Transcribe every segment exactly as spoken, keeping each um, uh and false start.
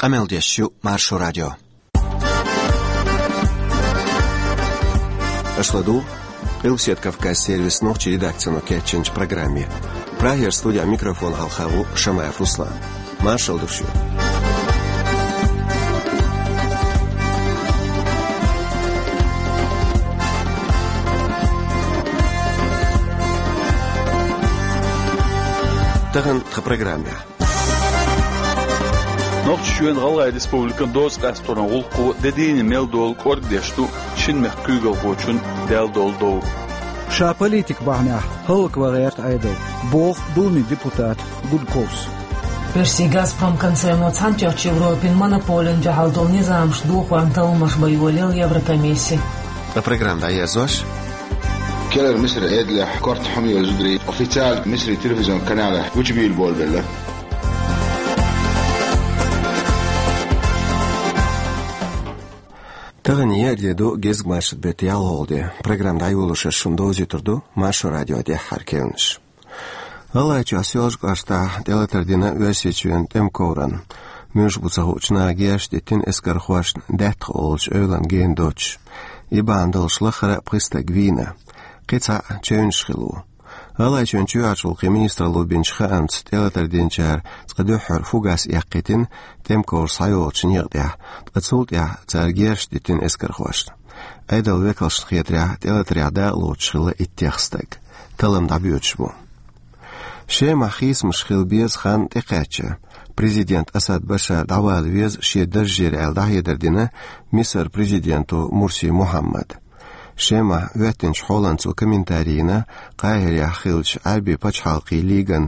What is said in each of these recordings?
Къамел деш ю Маршо радио. Аша ладугӀу Къилбаседа Кавказ сервисан нохчийн редакцино кечйинчу программе. Прагера студехь микрофон хьалха ву Шамаев Руслан. Маршалла ду шуьга. Тахана тхан программехь. Нохчийчоьнан ГӀалгӀай Республикан доза къасторан гӀуллакхо де дийне мел долу кӀоргдеш ду шина мехкан куьйгалхочун даьлла долу дов. Ша политик бахьанехь хӀаллакван гӀерта Ӏедал, боху Думин депутата Гудковс. Оьрсийн «Газпром» концерно цхьаьнатоьхначу Европин монополина дуьхьал долу низамаш дохорна талламаш бан йолаелла Еврокомисси. Ткъа программа дӀаерзош. Керара Мисар Ӏедалехь корта хьума йолу зударий официально Мисаран телевизион каналехь гучубийла болабелла. Тахана еара де ду, гезгмашин беттан ялхолгӀа де. Программа дӀайолош аса шуна довзуьйтур ду Маршо радион тӀаьххьара керланаш. ГӀалгӀайчохь Соьлжа-кӀоштахь тӀелатар дина Оьрсийчоьнан тӀеман коврана. Муьлш бу ца хуучу наха герзаш диттина эскархошна Даьттах олучу эвлана гена доцуш. И бахьана долуш лаххара а пхи стаг вийна. Кхин цхьаъ чевнаш хилла ву. ГӀалгӀайчоьнан чоьхьарчу гӀуллакхийн министралло бинчу хаамца, тӀелатар динчара цкъа дуьххьара фугас эккхийтина тӀеман ковра схьайогӀучу некъа тӀехь, ткъа цул тӀаьхьа цара герзаш диттина эскархошна. Ӏедалан векалшна хетарехь, тӀелатарехь дакъалоцуш хилла иттех стаг. Таллам дӀабоьдуш бу. Шемахь хийцамаш хила беза хан тӀекхаьчча, президент Асад Башар дӀавала веза шен даржера аьлла дӀахьедар дина Мисаран президенто Мурси Мухьаммада. Шемахь хӀоьттинчу хьолан цо комментари йина Къахьирехь хиллачу Ӏаьрбийн пачхьалкхийн лиган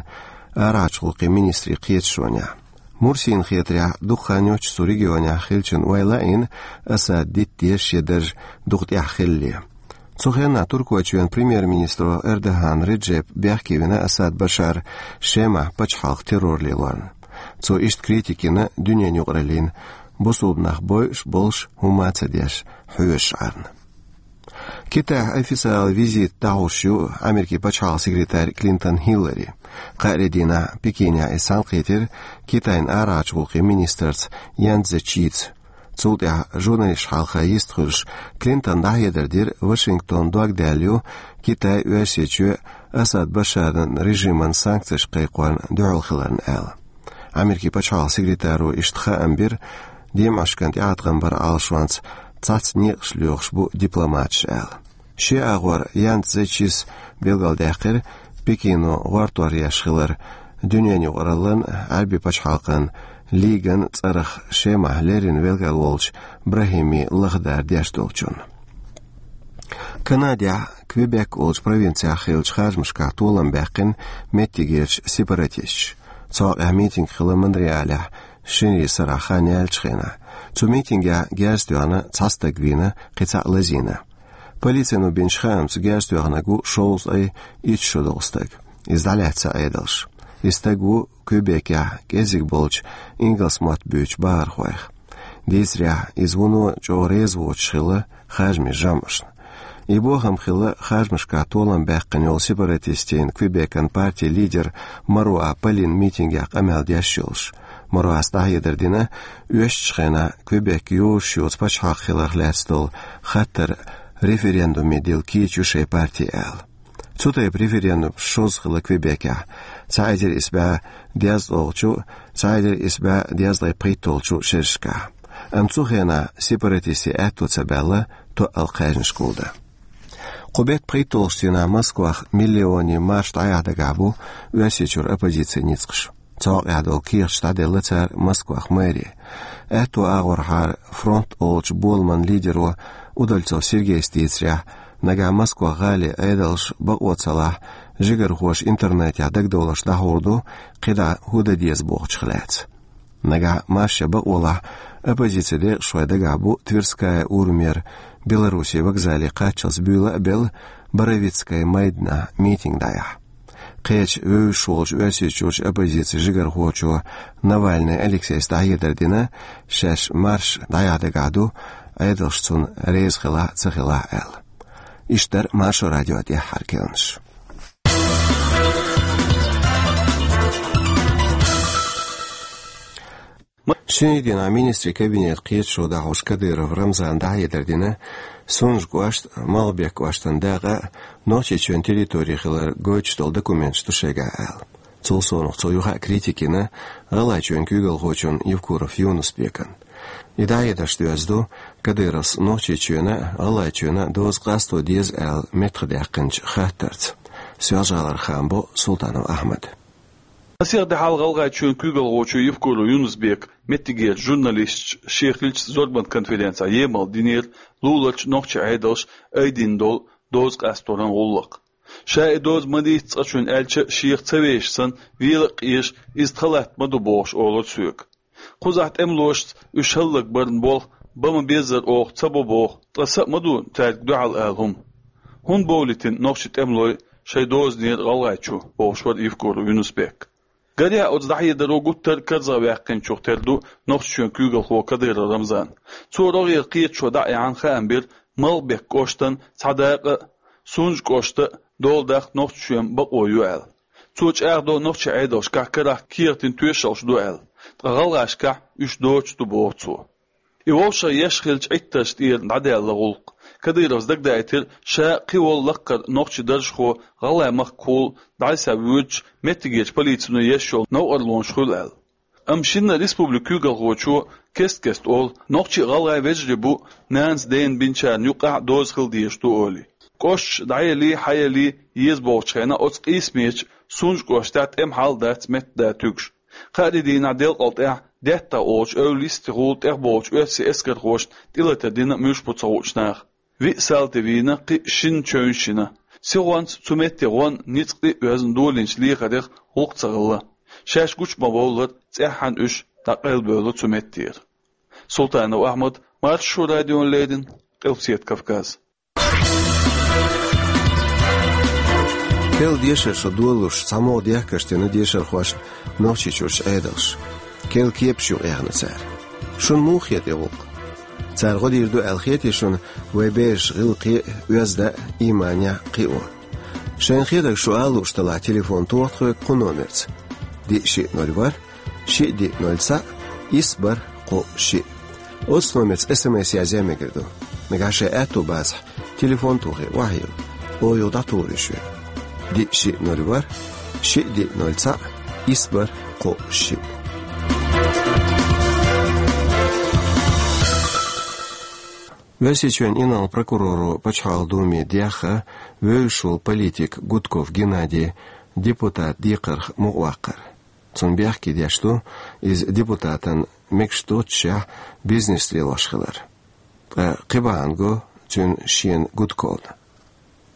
арахьарчу гӀуллакхийн министрийн кхеташонехь. Мурсина хетарехь, дукха хан йоццуш цу регионехь хиллачун ойла а йина, Асада дитта деза шен дарж дукха тӀехь хилале. Цу хенахь Туркойчоьнан премьер-министро Эрдоган Реджепа бехке вина Асад Башар Шемахь пачхьалкх террор лелорна. Цо иштта критика йина дуьненан юкъараллина, бусулба нах бойуш а болуш, хӀумма а ца деш, хьоьжуш Ӏарна. Китайхь официалан визитан дӀахьош ю Америкин пачхьалкхан секретарь Клинтон Хиллари. Кхаарин дийнахь Пекинехь иза цхьаьнакхийтира Китайн арахьарчу гӀуллакхийн министрца Ян Цзечица. Цул тӀаьхьа журналисташна хьалха йистхуьлуш, Клинтона дӀахьедар дира, Вашингтон дог даьлла ю Китай, Оьрсийчоь Асад Башаран режиман санкцеш кхайкхорна дуьхьал хиларна аьлла. Америкин пачхьалкхан секретаро иштта хаам бира, демашкан тӀеӀаткъам баран Ӏалашонца цхьацца некъаш лоьхуш бу дипломаташ аьлла. Шен агӀор Ян Цзечис билгалдаьккхира Пекино гӀортор еш хилар дуьненан юкъараллан, Ӏаьрбийн пачхьалкхан лиган цӀарах Шемахь леррина велхар волчу Брахими лахдар деш долчунна. Канадехь Квебек олучу провинцехь хиллачу харжамашкахь толам баьккхина меттигерчу сепаратисташа. Цу хьокъехь митинг хилла Монреалехь шинарин сарахь хан яьллачу хенахь. Цу митингехь герз тоьхна цхьа стаг вийна, кхин цхьаъ лазийна. Полицино бинчу хаамца, герз тоьхнарг ву шовзткъе итт шо долу стаг. Иза дӀалаьцна Ӏедалша. И стаг ву Квебекехь кӀеззиг болчу ингалс мотт буьйцучу бахархойх. Дийцарехь, иза вуно чӀогӀа реза воцуш хилла харжамийн жамӀашна. И бохам хилла харжамашкахь толам баьккхина йолу сепаратистийн Квебекан партин лидер Маруа Полин митингехь къамел деш йолуш. Маруас дӀахьедар дина, оьшучу хенахь Квебек йозуш йоцу пачхьалкх хиларх лаьцна долу хаттар референдуме дилла кийча ю шайн парти аьлла. Цу тайпа референдум шозза хилла Квебекехь, цхьа эзар исс бӀе дезткъолгӀачу, цхьа эзар исс бӀе дезткъе пхийттолгӀачу шерашкахь. Амма цу хенахь сепаратистийн аьтто ца баьлла тоъал кхаьжнаш гулдан. Кху беттан пхийттолгӀачу дийнахь Москвахь миллионийн марш дӀаяхьа дагахь бу Оьрсийчуьра оппозицин ницкъаш. Цу хьокъехь долу кехаташ дӀаделла цара Москвахь мэре. Аьтто агӀорхьара фронт олучу боламан лидеро Удальцов Сергейс дийцарехь, нагахь Москвахь гӀалин Ӏедалша бакъо ца лахь, жигархоша интернетехь дагадовларш дӀахьур ду, кхидӀа хӀун дан деза бохучух лаьцна. Нагахь маршан бакъо лахь, оппозицин декъашхой дагахь бу Тверская урамера Белоруссин вокзале кхаччалц буьйла а белла, Боровицкая майданахь митинг дӀаяхьа. Кхечу вевзаш волчу Оьрсийчуьрчу оппозицин жигархочо Навальный Алексейс дӀахьедар дина, шаьш марш дӀаяхьа дагахь ду, Ӏедалша цунна реза хилахь а, ца хилахь а аьлла. Иштта дара Маршо радион тӀаьххьара керланаш. Шинарин дийнахьа министрийн кабинета кхеташо дӀахьош Кадыров Рамзана дӀахьедар дина, Сунжа кӀоштан, Малгобек кӀоштан дакъа а, Нохчийчоьнан территори хилар гойтуш долу документаш ду шайгахь аьлла. Цул совнаха цо юха а критика йина ГӀалгӀайчоьнан куьйгалхочун Евкуров Юнус-Бекан. И дӀахьедарш доьзна ду, Кадыровс Нохчийчоьнан а, ГӀалгӀайчоьнан а доза къасто деза аьлла меттахдаьккхинчу хаттарца. Соьлжа-ГӀалара Хамбо, Султанов Ахьмад. Масех де хьалха ГӀалгӀайчоьнан куьйгалхочо Евкуров Юнус-Бека меттигерчу журналисташца шен хиллачу зорбан конференцехь емал динера луларчу нохчийн Ӏедалша айдина долу доза къасторан гӀуллакх. Ша и доза ма дийца цкъачунна аьлча а, шех ца вешаш санна, вела а къежаш, иза тхан латта ма ду бохуш олура соьга. Кхузахь тӀемалошца уьш хӀаллакбарна болх бан ма беззара оха ца бо боху, ткъа са а ма ду цаьрга дуьхьал ала хӀума. ХӀунда бовлийтина нохчийн тӀемалой шайн дозанера ГӀалгӀайчу, бохуш вара Евкуров Юнус-Бек. Гарехь, оцу дӀахьедаро гуттар а карзахваьккхинчух тера ду Нохчийчоьнан куьйгалхо Кадыров Рамзан. Цо рогӀера кхеташо дӀа а яьхьна, хаам бира Малгобек кӀоштан цхьа дакъа а, Сунжа кӀоштан а дола даккха Нохчийчоьнан бакъо ю аьлла. Цо чӀагӀдо нохчийн Ӏедалшкахь карахь кехатийн тоьшаллаш ду аьлла, ткъа гӀалгӀашкахь уьш доцуш ду, боху цо. И вовшах еш хиллачу Ӏиттаршна тӀера дӀадаьлла гӀуллакх. Кадыровс дагадаийтира, ша а, кхин волу лаккхара нохчийн даржхо ГӀалгӀай махкахула дӀасавоьдуш, меттигерчу полицино еш йолу новкъарлонаш хуьлу аьлла. Амма шинна республикан куьйгалхочо кест-кеста олу, нохчий а, гӀалгӀай а вежарий бу, нанас дена бинчарна юккъехь а доза хила дезаш ду олий. КӀошташ дӀаялий, хьаялий еза бохучу хенахь, оцу къийсамечу Сунжа кӀоштехь тӀеман хьал дац меттан да туьгуш. Кхаарин дийнахь делкъал тӀехь ДеттагӀа олучу эвла йистехула тӀехболучу оьрсийн эскархошна тӀелатар дина муьлш бу ца хуучу наха. Виъ салти вийна, кхин а шина чевнаш йина. Сихонца цу метте гӀон, ницкъ тӀе а оьзна долийначу лехарех гӀуллакх ца хилла. Шаьш гучу ма-вовллара, цӀеххьана уьш дӀакъайлабевлла цу меттера. Султанов Ахьмад, Маршо радиона леррина, Къилбаседа Кавказ. Кхин дешар шо долуш, цхьамогӀа дехкарш дина дешархошна Нохчийчуьрчу Ӏедалша. Кхин кепаш юкъаэхна цара. Шуна муха хета и гӀуллакх? Цара гӀо дийр ду аьлла хетий шуна вайн бераш гӀиллакхе а, оьзда а, ийманехь а кхио? Шайна хетарг шу ала лууш делахь, телефон тоха тхоьга кху номерца: диъ шиъ ноль ворхӀ, шиъ диъ ноль цхьаъ, исс бархӀ кхоъ шиъ. Оцу номерца СМС язъян мегар ду. Нагахь шайн аьтту бацахь, телефон тухий, охьайилла. Оха юха дӀатухур ю шуьга. Диъ шиъ ноль ворхӀ, шиъ диъ ноль цхьаъ, исс бархӀ кхоъ шиъ. Оьрсийчоьнан инарла прокуроро Пачхьалкхан Думе дехха вевзаш волу политик Гудков Геннадий депутат декхарх мукъаваккхар. Цунна бехке деш ду иза депутатан мегаш доццушехь бизнес лелош хилар. Ткъа кхин бахьана го цуьнан шена Гудковна.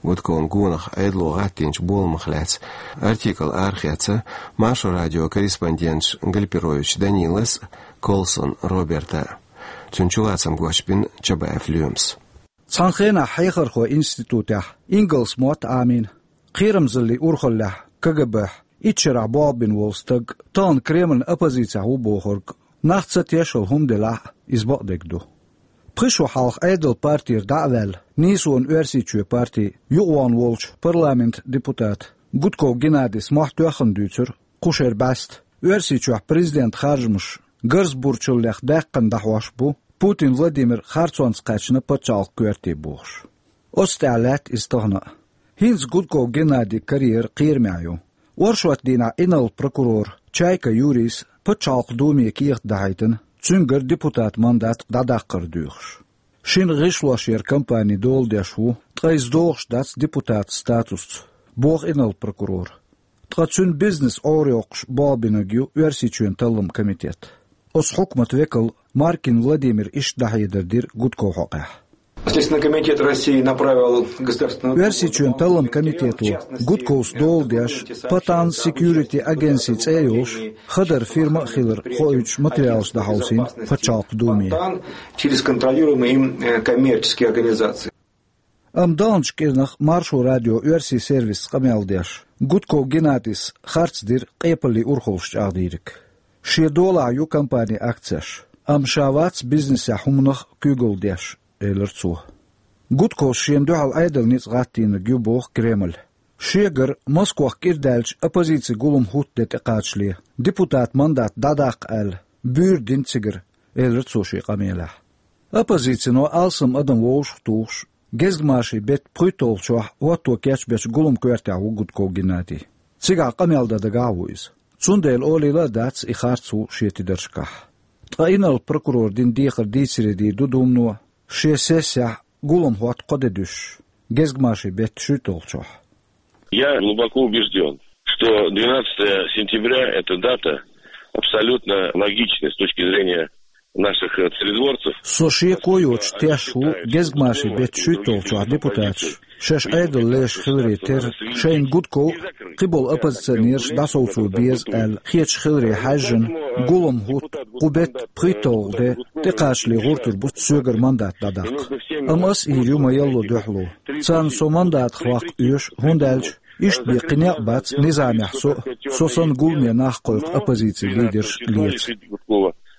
Гудковна гонах Ӏедало гӀаттийначу боламах лаьцна артикл арахецна Маршо радион корреспонденташа Гальперович Данилас а, Колсон Роберта а. Цуьнан чулацам гочбина Чабаев Лоьмас. Цхьана хенахь хьехархойн институтехь ингалс мотт Ӏамийна, кхерамзаллин урхаллехь, КГБ-хь, итт шарахь болх бина волу стаг, тахана Кремльан оппозицехь ву бохург, нах ца тешалла хӀума делахь а, иза бакъдерг ду. Пхи шо хьалха Ӏедалан партера дӀа а ваьлла, нийсонан Оьрсийчоьнан парти юкъавогӀуш волчу парламентан депутата Гудков Геннадис мохь тоьхна дуьйцура, кху шеран бӀаьста Оьрсийчохь президентан харжамаш гарза бурчаллех даьккхина дӀахьош бу, Путин Владимир харцонца кхаьчна пачхьалкхан коьрте бохуш. Оцу тӀехь лаьтта иза тахана а. ХӀинца Гудков Геннадин карьера кхерамехь ю. Оршотан дийнахь инарла прокурора Чайка Юрийс Пачхьалкхан Думе кехат дахьийтина, цуьнгара депутатан мандат дӀадаккхар доьхуш. Шина гӀишлош яран кампани дола деш ву, ткъа иза догӀуш дац депутатан статусца, боху инарла прокурора. Ткъа цуьнан бизнес Ӏорайоккхуш болх бинарг ю Оьрсийчоьнан талламан комитет. Оцу хьукматан векала Маркин Владимира иштта дӀахьедар дира Гудковн хьокъехь. Следственный комитет России направил государственную... Оьрсийчоьнан талламан комитето Гудковс дола деш, Patan Security Agency цӀе а йолуш, хадара фирма а хилар хоуьйтуш материалаш дӀахьовсийна Пачхьалкхан Думе. Через контролируемые им, э, коммерческие организации. Амма даханчу кӀирнах Маршо радион оьрсийн сервисца къамел деш, Гудков Геннадис харц дира къепаллин урхаллаш чӀагӀдийриг. Шен долахь ю компанин акцеш, амма ша вац бизнесехь хӀуманах куьйгалла деш, элира цо. Гудковс шена дуьхьал Ӏедалан ницкъ гӀаттийнарг ю боху Кремль. Шегара Москвахь кӀира даьлча оппозицин гулам хӀуттаде тӀекхачале, депутатан мандат дӀадаккха аьлла, буьйр дина цигара, элира цо шен къамелехь. Оппозицино алсам адам вовшахтухуш, гезгмашин беттан пхийтталгӀачохь хӀотто кечбечу гуламан коьртехь ву Гудков Геннадий. Цигахь къамел дан дагахь а ву иза. Цундела олийла а дац и харц ву шен тидаршкахь. Ткъа инарла прокурора дина дехар дийцаре дийр ду Думано, шен сессехь гулам хӀотта кхо де дуьсуш, гезгмашин беттан шуьйтталгӀачохь. Я глубоко убежден, что двенадцатое сентября — это дата абсолютно логичная с точки зрения наших, э, царедворцев. Со шеко йоцуш тешна ву гезгмашин беттан шуьйтталгӀачохь депутаташ шаьш Ӏедал леш хиларе терра, шайна Гудков а, кхиболу оппозиционераш а дӀасовцо беза аьлла хеташ хиларе хьаьжжина, гулам хӀотта кху беттан пхийтталгӀа де тӀекхачале гӀертар бу соьгара мандат дӀадаккха. Амма ас а йийр ю ма-ялло дуьхьало. Царна со мандатах ваккха оьшу, хӀунда аьлча иштта бен кхин некъ бац низамехь со а, со санна гуламе нах а кхойкху оппозицин лидерш а леца.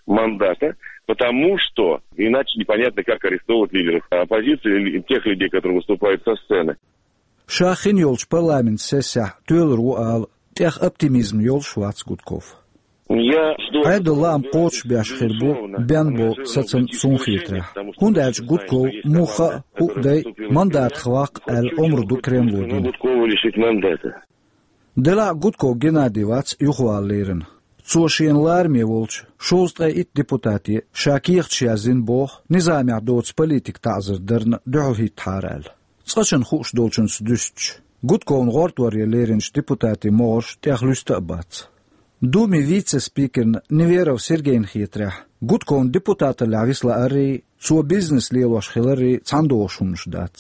Мандата, потому что иначе непонятно, как арестовывать лидеров оппозиции или тех людей, которые выступают со сцены. Ша хин йолчу парламентан сессехь тоьлур ву ала, тӀех оптимизм йолуш вац Гудков. Я жду. Ӏедал лаам кхочушбеш хир бу бен болу сацам суна хетарехь. ХӀунда аьлча Гудков муха а, хӀуъа дай мандатах ваккха аьлла омра ду Кремло дина. Гудкова лишить мандата. Делахь а Гудков Геннадий вац юхавала лерина. Цо шена лараме волчу шовзткъе итт депутате ша кехаташ яздина боху, низамехь доцу политикан таӀзар дарна дуьхьал хӀиттахьара аьлла. Цкъачунна хууш долчунца дуьстича, Гудковна гӀортор ян леринчу депутатийн могӀарш тӀех луьста а бац. Думин вице-спикерна Неверов Сергейна хетарехь, Гудковна депутаталлехь виса лааррий, цо бизнес лелош хиларрий цхьаьна догӀуш хӀуманаш дац.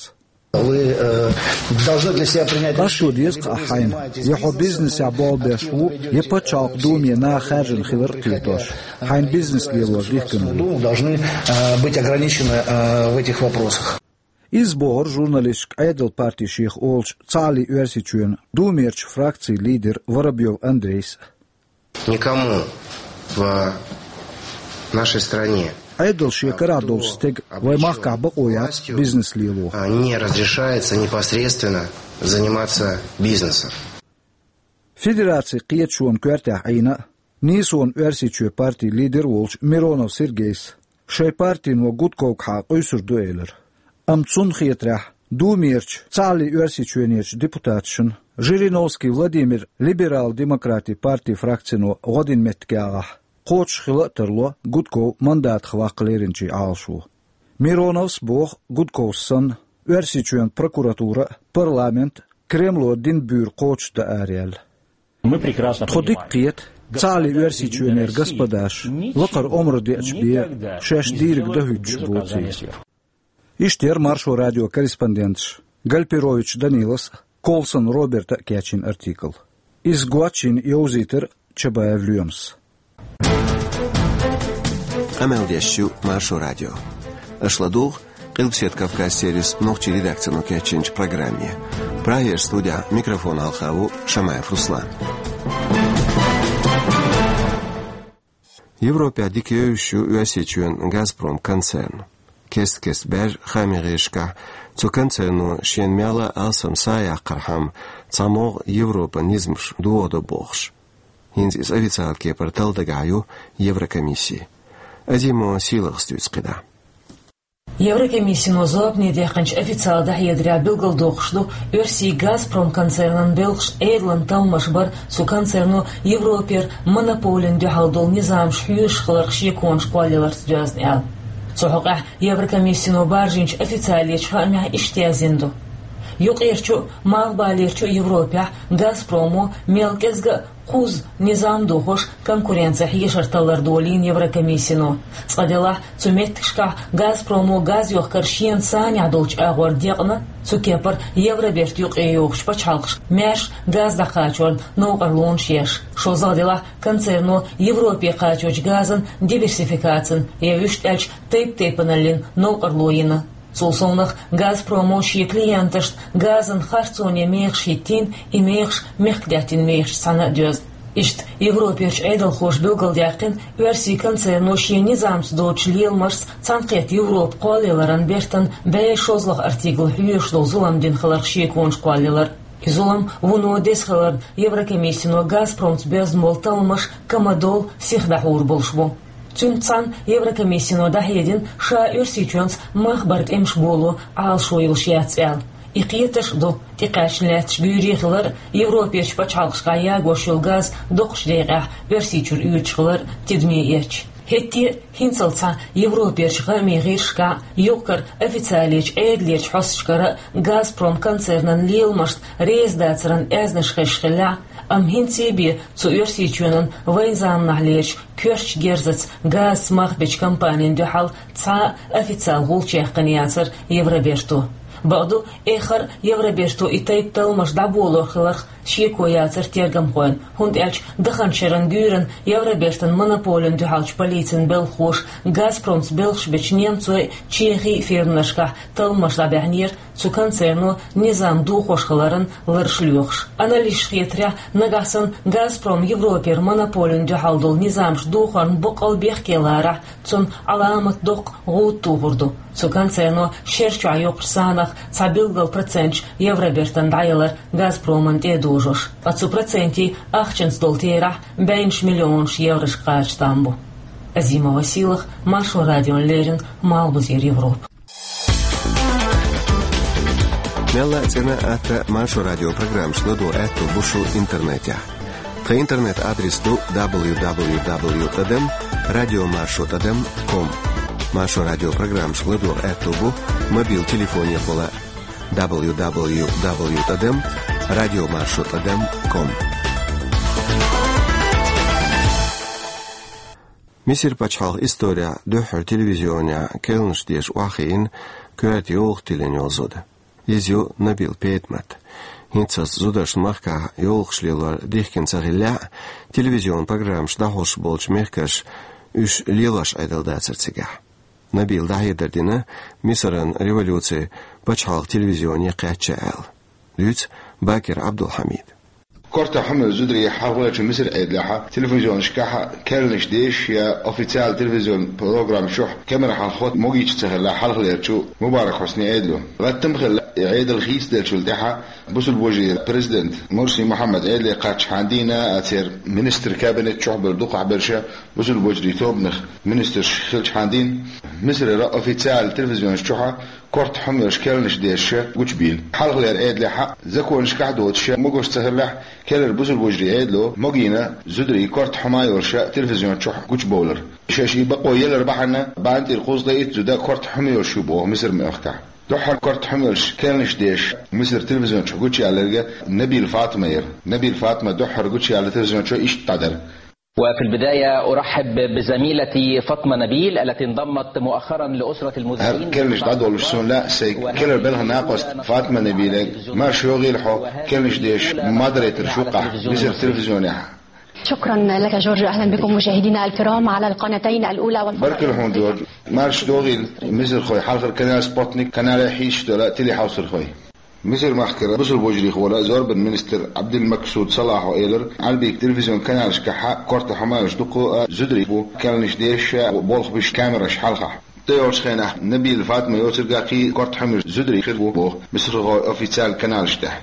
Вы, э, должны для себя принять решение. Аш ду деза-кх ахь хьайна, я хьо бизнесехь болх беш ву, я Пачхьалкхан Думе наха хаьржина хилар а кхетош, хьайна бизнес лелор дихкина ву. Думу должны, э, быть ограничены, э, в этих вопросах. Иза бохура журналисташка Ӏедалан парти шех олучу Цхьааллин Оьрсийчоьнан Думерчу фракцин лидера Воробьёв Андрейс. Никому в нашей стране, Ӏедал шен карахь долчу стеган вайн махкахь бакъо яц бизнес лело. А, не разрешается непосредственно заниматься бизнесом. Федерацин кхеташонан коьртехь Ӏийна а, Нийсонан Оьрсийчоь партин лидер а волчу Миронов Сергейс шайн партино Гудковгахьа къуьйсур ду элира. Амма цунна хетарехь, Думерчу Цхьааллин Оьрсийчоьнерчу депутаташна, Жириновский Владимиран Либерал-демократийн партин фракцино гӀо дина меттигехь, кхочуш хила а тарло Гудков мандатах ваккха леринчийн Ӏалашо. Мироновс а боху Гудковс санна, Оьрсийчоьнан прокуратура а, парламент а Кремло дина буьйр кхочушдан араяьлла. Тхо дика кхета, Цхьааллин Оьрсийчоьнера господаш лакхара омра деача бен шаьш дийриг дан хӀуьттуш боций. Иштта яра Маршо радион корреспонденташа Гальперович Данилас а, Колсон Роберта а кечйина артикл. Иза гочйина йовзийтира Чабаев Лоьмас. Къамел деш ю Маршо радио. Аша ладугӀу Къилбаседа Кавказ сервисан нохчийн редакцино кечйинчу программе. Прагерчу студехь микрофон хьалха ву Шамаев Руслан. Европехь дика евзаш ю Оьрсийчоьнан «Газпром» концерн. Кест-кеста баьржа хаамийн гӀирсашкахь цу концерно шена мелла а алсам са а яккхархьама, цхьа могӀа Европан низамаш дохадо бохуш. ХӀинца иза официалан кепара талла дагахь ю Еврокомисси. Азимова Сийлахьас дуьйцу кхидӀа. Еврокомиссино зорбане даьккхинчу официалан дӀахьедарехь билгалдоккхуш ду, Оьрсийн «Газпром» концернан белхаш Ӏедалан талламаш бар, цу концерно Европера монополина дуьхьал долу низамаш хьоьжуш хиларх шеконаш кхоллаяларца доьзна аьлла. Цу хьокъехь Еврокомиссино баржийначу официалечу хаамехь иштта яздина ду: юккъерчу а, малхбалерчу а Европехь «Газпромо» мел кӀезга а кхузза низам дохош, конкуренцин хьешар таллар долийна Еврокомиссино. Цкъа делахь, цу меттигашкахь «Газпромо» газ йохкар шена санехь долчу агӀор декъна, цу кепара Евробертан юкъе йогӀучу пачхьалкхашка маьрша газ дӀакхачорна новкъарлонаш еш. ШолгӀа делахь, концерно Европе кхачочу газан диверсификацина, я вуьшта аьлча, тайп-тайпаналлин новкъарло йина. Цул совнаха, «Газпромо» шен клиенташна газан харцонан мехаш хӀиттийна, и мехаш мехкдаьттан мехашца цхьаьна а доьзна. Иштта Европерчу Ӏедалхоша билгалдаьккхина, Оьрсийн концерно шен низамца доцучу леламашца цхьаьнакхетта Европа кхоллаяларан бертан бӀе шолгӀа артикл хьоьжуш долу зулам дина хиларх шеконаш кхоллаялар. И зулам вуно деза хиларна, Еврокомиссино «Газпромца» боьзна болу талламаш кама долу сиха дӀахьур болуш бу. Цуьнца цхьаьна Еврокомиссино дӀахьедина, ша Оьрсийчоьнца мах баран тӀемаш боло Ӏалашо йолуш яц аьлла. И кхеташ а ду, тӀекхаьчна лаьтташ буьйре хилар а, Европерчу пачхьалкхашкахь ягош йолу газ доккхачу декъехь Оьрсийчуьра оьцуш хилар а тидаме эцча. ХӀетте а, хӀинццалц цхьа Европерчу хаамийн гӀирсашкахь а, юкъ-кара официалечу Ӏедалерчу хьосташкара а Газпром концернан леламашна реза дацаран аьзнаш хезаш хиллехь а, амма хӀинца бен цу Оьрсийчоьнан вайн заманахьлерчу коьртачу герзаца газца мах бечу компанин дуьхьал цхьа а официалан гӀулч яьккхина яцара Евроберто. Бакъду, эххар а Евроберто и тайпа талламаш дӀаболор хиларх шеко яцара тергамхойн, хӀунда аьлча даханчу шеран гуьйранна Евробертан монополина дуьхьалчу полицин белхалоша Газпромца белхаш бечу немцойн, чехийн фирманашкахь талламаш дӀабаьхьнера, цу концерно низам дохош хиларан лараш лоьхуш. Аналисташна хетарехь, нагахь санна Газпром Европера монополина дуьхьал долу низамаш дохорна баккъал бехке ларахь, цунна Ӏаламат доккха гӀуда тухур ду. Цу концерно шер чохь йоккхучу санах цхьа билггал проценташ Евробертана дӀаялар Газпромана тӀе а дожош. Ткъа цу процентийн ахчанца долу терахь бӀеннаш миллионаш еврошка кхача там бу. Азима Василах, Маршо радиона леррина, Малхбузера Европа. Мелла а цӀена а, атта а Маршо радион программашна ладогӀа аьтто бу шун интернетехь. Тхан интернет-адрес ду дабл ю дабл ю дабл ю тӀадам радио маршо тӀадам ком. Маршо радион программашка ладогӀа аьтто бу мобил телефонехула дабл ю дабл ю дабл ю тӀадам радио маршо тӀадам ком. Мисар пачхьалкхан исторехь дуьххьара телевизионехь керланаш деш охьахиъна коьрта йовлакх тиллина йолу зуда. Иза ю Набил Петмат. ХӀинццалц зударшна махкахь йовлакхаш лелор дихкина ца хиллехь а, телевизион программаш дӀахьош болчу мехкаша уьш лелош Ӏедал дацара цигахь. Набила дӀахьедар дина Мисаран революци пачхьалкхан телевизионе кхаьчча аьлла. Дуьйцу Бакир Ӏабдулхьамида. Корта хьумел зударий хьалхалерчу Мисар Ӏедалехь телевизионашкахь керланаш деш я официал телевизион программа чохь камера хьалхо могуьйтуш ца хилла хьалхалерчу Мубарак Хьусни Ӏедало. Латтам хилла и Ӏедал хийцаделлачул тӀаьхьа бусулба вежарий президент Мурси Мухьаммад Ӏедале кхаччахьана дийна а церан министр кабинет чохь болу дукхахберш бусулба вежарий тобанах министрш хилчахьана дийна. Мисарера официал телевизионаш чохь корта хьумелаш керланаш деш гучубийла. Хьалхалера Ӏедалехь законашкахь доцуш могуш ца хиллехь, керлара бусулба вежарий Ӏедало могийна зударий корта хьума йолуш телевизион чохь гучубовлар. Шаьш и бакъо елар бахьана, бана тӀера кхузткъе итт зуда корта хьума йолуш ю боху Мисар мехкахь. Дуьххьара корта хьумелаш керланаш деш Мисар телевизион чохь гучуялларг Набил Фатма яра. Набил Фатма дуьххьара гучуяьлла телевизион чохь иштта дӀадара. وفي البداية أرحب بزميلتي فاطمة نبيل التي انضمت مؤخرا لأسرة المذيعين. ХӀара керланаш дӀадолуш суна лаьа сайн керлара белхан накъост Фатма Набиле. Марша йогӀийла хьо, керланаш деш модераторш ву-кх ахь Мисар телевизионехь. شكرا لك جورج، أهلا بكم مشاهدينا الكرام على القناتين الأولى والقناة. Баркалла хьуна, Джордж. Марша догӀийла, мисархой, хьалхара канал Спутник, канале хьийзаш долу телехьовсархой. Мисар-махкара бусулба вежарий хьолехь зорбан министр Ӏабдул-Максуд Салахьо элира, Ӏарбийн телевизион каналашкахь корта хьумелаш дукха а зударий бу керланаш деш а, болх беш камераш хьалха. ТӀейогӀучу хенахь Набил Фатма йоцург а кхин корта хьумелаш зударий хир бу боху мисархойн официал каналаш тӀехь.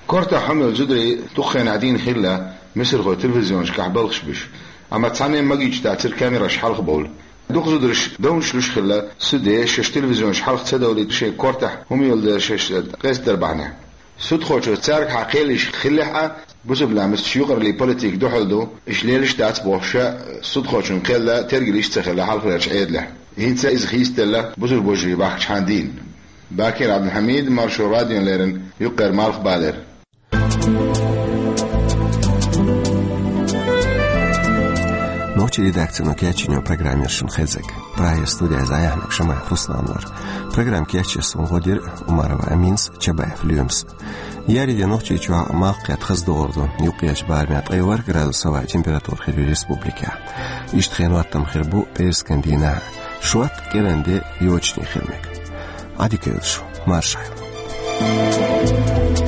Корта хьумел зударий дукха хенахь дийна хилла мисархойн телевизионашкахь балхаш беш, амма цхьанне а магийча дацара камераш хьалха бовла. Дукха зударша довнаш луш хилла, суьде шаьш телевизионаш хьалха ца довлийта, шайн кортахь хӀума йолу дела шаьш къастадар бахьана. Судхочо цаьргахьа кхел йиш хиллехь а, бусулба ламасташ юкъараллин политика дуьхьал ду, иштта лелаш дац бохуш, судхочун кхел тергал йиш ца хилла хьалхалерчу Ӏедалехь. ХӀинца иза хийцаделла бусулба вежарий бахчахьана дийна. Бакир Ӏабдулхьамид, Маршо радиона леррина, Юккъера Малхбалера. Нохчийн редакцино кечйина программа яра шуна хезнарг. Прагера студехь зӀе яхьнарг Шамаев Руслан вара. Программа кечъеш суна гӀо дира Умарова Аминас, Чабаев Лоьмас. Еарин де Нохчийчохь малх кхетта хаза догӀур ду, юккъерчу барамехь ткъе ворхӀ градус хӀаваан температура хир ю республикехь. Иштта хенан хӀоттам хир бу пӀераскан дийнахь, шорта кӀиранде йочане хила мега. Ӏадика йойла шу, марша Ӏойла.